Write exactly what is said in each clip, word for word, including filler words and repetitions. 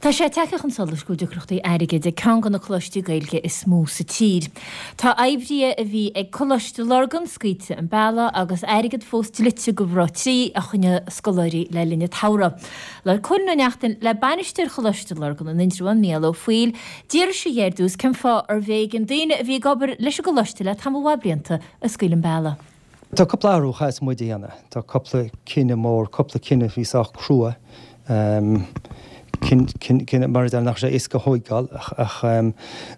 Tá sé tagtha chun solais go bhfuil deacrachtaí airgid ag ceann de na coláistí Gaeilge is mó sa tír. Tá oibrithe a bhí ag Coláiste Lurgan scaoilte an bealach agus airgead fós dlite do Roth trí a choinnigh scoláirí le linn an tsamhraidh. Labhair Cóilín Ó Neachtain le bainisteoir Choláiste Lurgan in Indreabhán, Mícheál Ó Foighil, d'fhiafraigh sé dhe ar dtús cén fáth arbh éigean daoine a bhí ag obair leis an gcoláiste le tamall mhaith blianta a scaoileadh an bealach. Tá cúpla athrú a chaithfeas muid a dhéanamh. Tá cúpla cinneadh mór, cúpla cinneadh a bhí sách crua. Cinneadh mar a deir nach raibh sé éasca a thóigeáil ach ach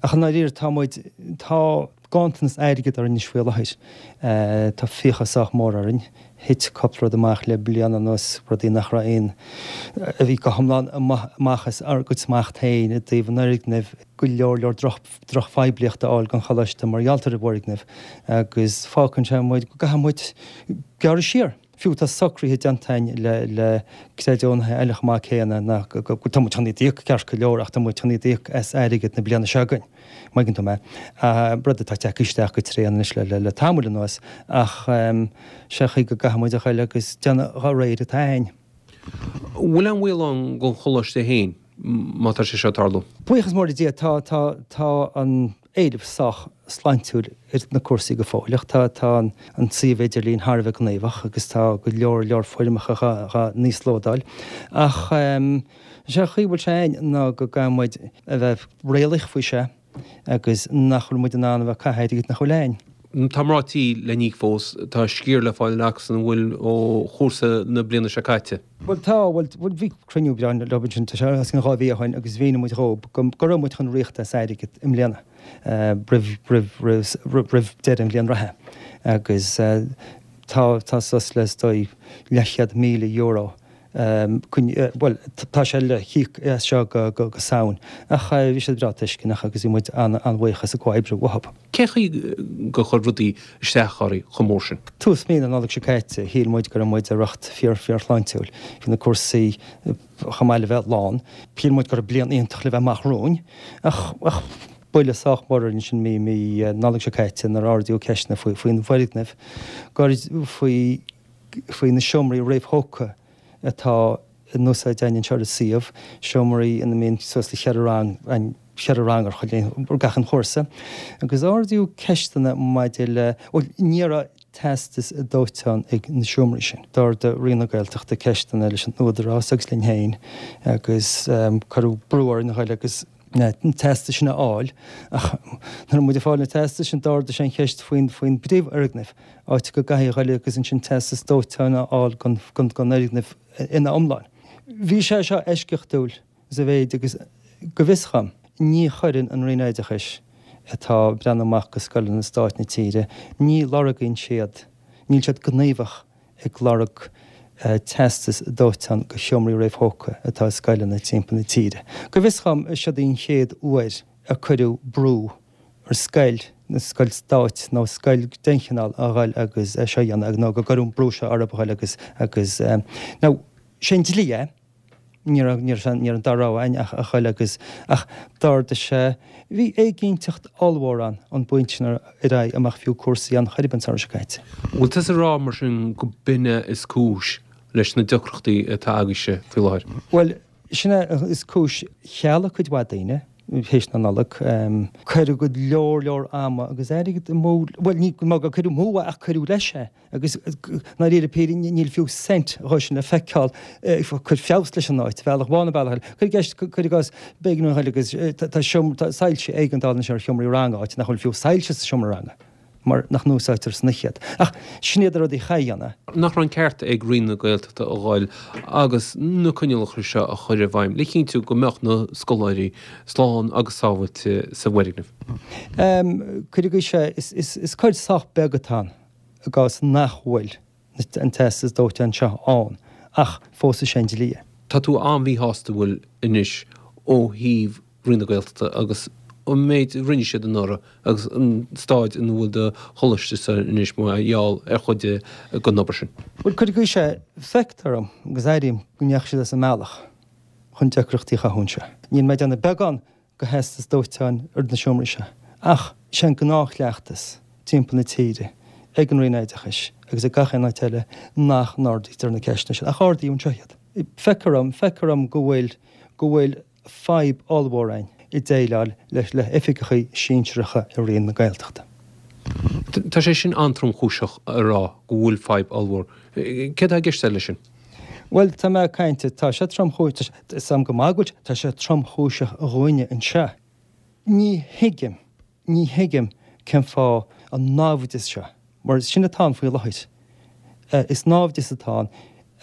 ach i ndáiríre tá muid, tá ganntanas airgid orainn anois faoi láthair. Tá fiacha sách mór orainn. Thit cúpla rud amach le bliain anuas, rudaí nach raibh aon, a bhí go hiomlán amach as ár gcuid smacht féin i dtaobh an fhoirgnimh, go leor leor droch drochphoiblíocht a fháil don choláiste mar gheall ar an bhfoirgneamh agus fágann sé muid go gcaithfidh muid gearradh siar. Fiú tá socruithe déanta againn le le creidiúnaithe eile chomh maith céanna nach go go tá muid chun iad a íoc ceart go leor ach tá muid chun iad a íoc as airgead na bliana seo chugainn, má thuigeann tú mé. Rud atá tagtha isteach go tréan anois le le le tamall anuas ach sé an chaoi go gcaithfidh muid a ghoil agus déanamh dá réir atá againn. Bhfuil aon bhaol ann don choláiste féin má tá sé seo ag tarlú? Buíochas mór le Dia tá tá tá an éileamh sách sláintiúil ar na cúrsaí go fóill ach tá tá an suíomh idirlín thar a bheith gníomhach agus tá go leor leor foirmeacha dhá n-íoslódáil ach sé an chaoi a bhfuil sé againn ná go gcaithfidh muid a bheith réalaíoch faoi seo agus nach bhfuil muid in ann a bheith ag caitheamh airgid nach bhfuil againn. Tá mná tí le n-íoc fós, tá sciar le fáil acusan an bhfuil ó chúrsa na bliana seo caite. Bhuel tá, bhuel bhí cruinniú breá leo ansin, tá sé os cionn dhá mhí ó shin agus mhínigh muid dhóibh go go raibh muid chun ríocht as airgead i mbliana roimh roimh roimh roimh deireadh an bhliain reatha agus tá tá suas le is dóigh leathchéad míle euro bhuel tá sé le híoc as seo go go Samhain ach bhí siad breá tuisceanach agus bhí muid an-bhuíoch as an gcomhoibriú uathu. Cén chaoi gur chuir rudaí isteach oraibh chomh mór sin? Tús mí na Nollag seo caite, shíl muid go raibh muid ar riocht fíor fíorshláintiúil. Bhí na cúrsaí chomh maith le bheith lán. Shíl muid go raibh bliain iontach le bheith amach romhainn ach ach buille sách mór orainn sin mí mí Nollag seo caite nuair a ardaíodh ceisteanna faoi faoin bhfoirgneamh, gur faoi faoi na seomraí réamhthógtha atá in úsáid againn anseo ar an suíomh, seomraí ina mbíonn suas le cheithre rang, cheithre rang ar chuile, ar gach aon chúrsa. Agus ardaíodh ceisteanna maidir le, bhuel, ní raibh teastas dóiteáin ag na seomraí sin. D'ardaigh Roinn na Gaeltachta ceisteanna leis an Údarás agus linn féin agus cuireadh brú orainn a ghoil agus na teastais sin a fháil ach nuair a bhí muid ag fáil na teastais sin d'ardaigh sé an cheist faoin faoin bpríomhfhoirgneamh, áit go gcaithfidh a ghoil agus ansin teastas dóiteáin a fháil don don fhoirgneamh ina iomlán. Bhí sé seo eisceachtúil sa mhéid agus go bhfios dhom ní chuireann an Roinn Oideachais atá ag breathnú amach go scoileanna stáit na tíre, ní lorgaíonn siad, níl siad gníomhach ag lorg teastas dóiteáin go sheomraí réamhthógtha atá i scoileanna timpeall na tíre. Go bhfios dhom, seod í an chéad uair a cuireadh brú ar scoil, nó scoil stáit nó scoil d'aon chineál a ghoil agus é seo a dhéanamh, nó go gcuireadh an brú seo orthu a ghoil agus, agus, now, sé an dlí é. Ní raibh, ní raibh, ní raibh an dara rogha againn ach a ghoil agus, ach d'ardaigh sé, bhí éiginnteacht ollmhór ann ón bpointe sin ar aghaidh a mbeadh fiú cúrsaí ann chor ar bith an samhradh seo caite. Bhfuil tusa ag rá mar sin go b'in é is cúis leis na deacrachtaí atá agaibhse faoi láthair? Bhuel, sin é is cúis, chealaigh cuid mhaith daoine théis na Nollag. Cuireadh go leor leor ama agus airgid amú, bhuel ní gur cuireadh amú é ach cuireadh leis é. Agus i ndáiríre píre níl fiú cent dhó sin le feiceáil ag cur feabhas leis an áit, bealach amháin nó bealach eile. Cuir i gceist, cuir i gcás, b'éigean dúinn a ghoil agus tá seomra, tá soilse éigeandála anois ar sheomraí ranga, áit nach bhfuil fiú soilse sa seomra ranga mar nach n-úsáidtear san oíche iad. Ach sin iad na rudaí a chaithfidh a dhéanamh. Nach raibh an ceart ag Roinn na Gaeltachta a ghoil agus na coinníollacha seo a chur i bhfeidhm le cinntiú go mbeadh na scoláirí slán agus sábháilte sa bhfoirgneamh? Cuir i gcás, is cuid sách beag atá ann. i gcás nach bhfuil an teastas dóiteáin seo ann, ach fós is é an dlí é. Tá tú an-mhíshásta bhfuil anois ó thaobh Roinn na Gaeltachta agus an méid a rinne siad anuraidh agus an staid ina bhfuil do choláiste-sa anois mar gheall ar chuid den obair sin. Bhuel, cuir i gcás é, feictear dom agus airím go ndeachaigh siad as a mbealach chun deacrachtaí a chothú anseo. Níl mé ag déanamh beagán de theastas dóiteáin ar na seomraí seo. Ach sé an gnáthchleachtas timpeall na tíre, ag an Roinn Oideachais agus ag gach aon áit eile nach n-ardaítear na ceisteanna sin, ach ardaíodh anseo iad. Feictear dom, feictear dom go bhfuil, go bhfuil fadhb ollmhór againn i déileáil leis le hoifigeacha sinsearacha i Roinn na Gaeltachta. Tá sé sin an-tromchúiseach a rá go bhfuil fadhb ollmhór. Céard atá i gceist leis sin? Bhuel, tá mé ag caint, tá sé tromchúiseach, tá 'fhios a'm go maith go bhfuil, tá sé tromchúiseach dhúinne anseo. Ní thuigim, ní thuigim cén fáth an naimhdeas seo, mar sin atá ann faoi láthair. Is naimhdeas atá ann.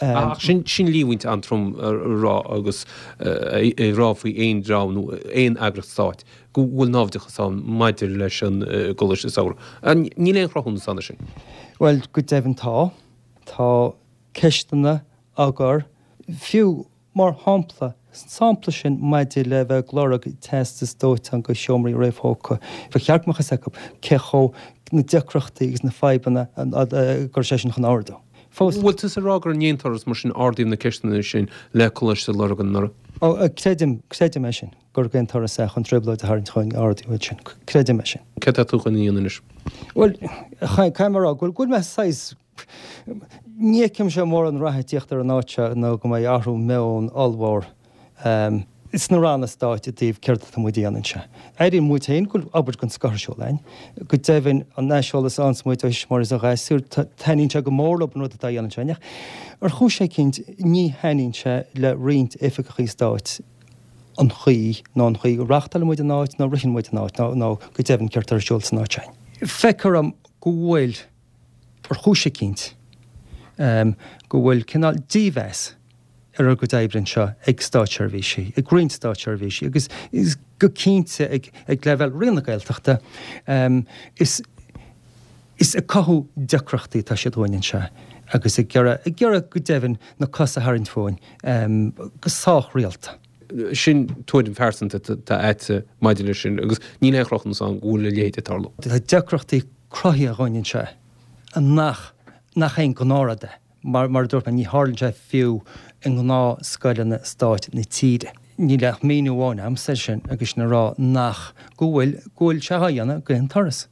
Ach sin, sin líomhaint an-trom a rá agus a rá faoi aon dream nó aon eagraíocht stáit go bhfuil naimhdeachas ann maidir leis an gcoláiste samhraidh. Níl aon chruthúnas ann air sin. Bhuel, go deimhin tá. Tá ceisteanna á gcur, fiú mar shampla, an sampla sin maidir le bheith ag lorg teastas dóiteáin do sheomraí réamhthógtha, ba cheart go mbeadh fhios acu cé chomh na deacrachtaí agus na fadhbanna a gcuir sé sin chun ardú. Fós. Bhfuil tusa ag rá gur in aon turas mar sin ardaíodh na ceisteanna sin le Coláiste Lurgan anuraidh? Ó, creidim, creidim é sin, gur d'aon turas é chun trioblóid a tharraingt chugainn ardaíodh iad sin. Creidim é sin. Céard atá tú chun a dhéanamh anois? Bhuel, caithfidh mé a rá go bhfuil mé saghas, ní fheicimse mórán rath ag tíocht ar an áit seo nó go mbeidh athrú meoin ollmhór sna ranna stáit i dtaobh céard atá muid a dhéanamh anseo. Airíonn muid féin go bhfuil obair den scoth ar siúl againn. Go deimhin, an aiseolas a fhaigheanns muid ó thuismitheoirí is ó ghasúir, taitníonn sé go mór leo an rud atá á dhéanamh anseo againn. Ach ar chúis eicínt, ní thaitníonn sé le roinnt oifigeachaí stáit an chaoi nó an chaoi go reáchtálann muid an áit nó ritheann muid an áit nó nó go deimhin céard atá ar siúl san áit sin. Feictear dom go bhfuil, ar chúis eicínt, go bhfuil cineál dímheas ar ár gcuid oibre anseo ag státseirbhísigh, ag roinnt státseirbhísigh agus go cinnte ag ag leibhéal Roinn na Gaeltachta. Is is ag cothú deacrachtaí atá siad dhúinn anseo agus ag iarraidh ag iarraidh go deimhin na cosa a tharraingt fúinn go sách rialta. Sin tuairim phearsanta atá agat maidir leis sin agus níl aon chruthúnas ann go bhfuil a leithéid ag tarlú. Tá deacrachtaí cruthaithe dhúinn anseo nach nach aon ghnáthrud é. Mar a dúirt mé, ní tharlaíonn sé fiú i ngnáthscoileanna stáit na tíre. Níl ach míniú amháin agamsa air sin agus sin a rá nach, go bhfuil, go bhfuil sé á dhéanamh d'aon turas.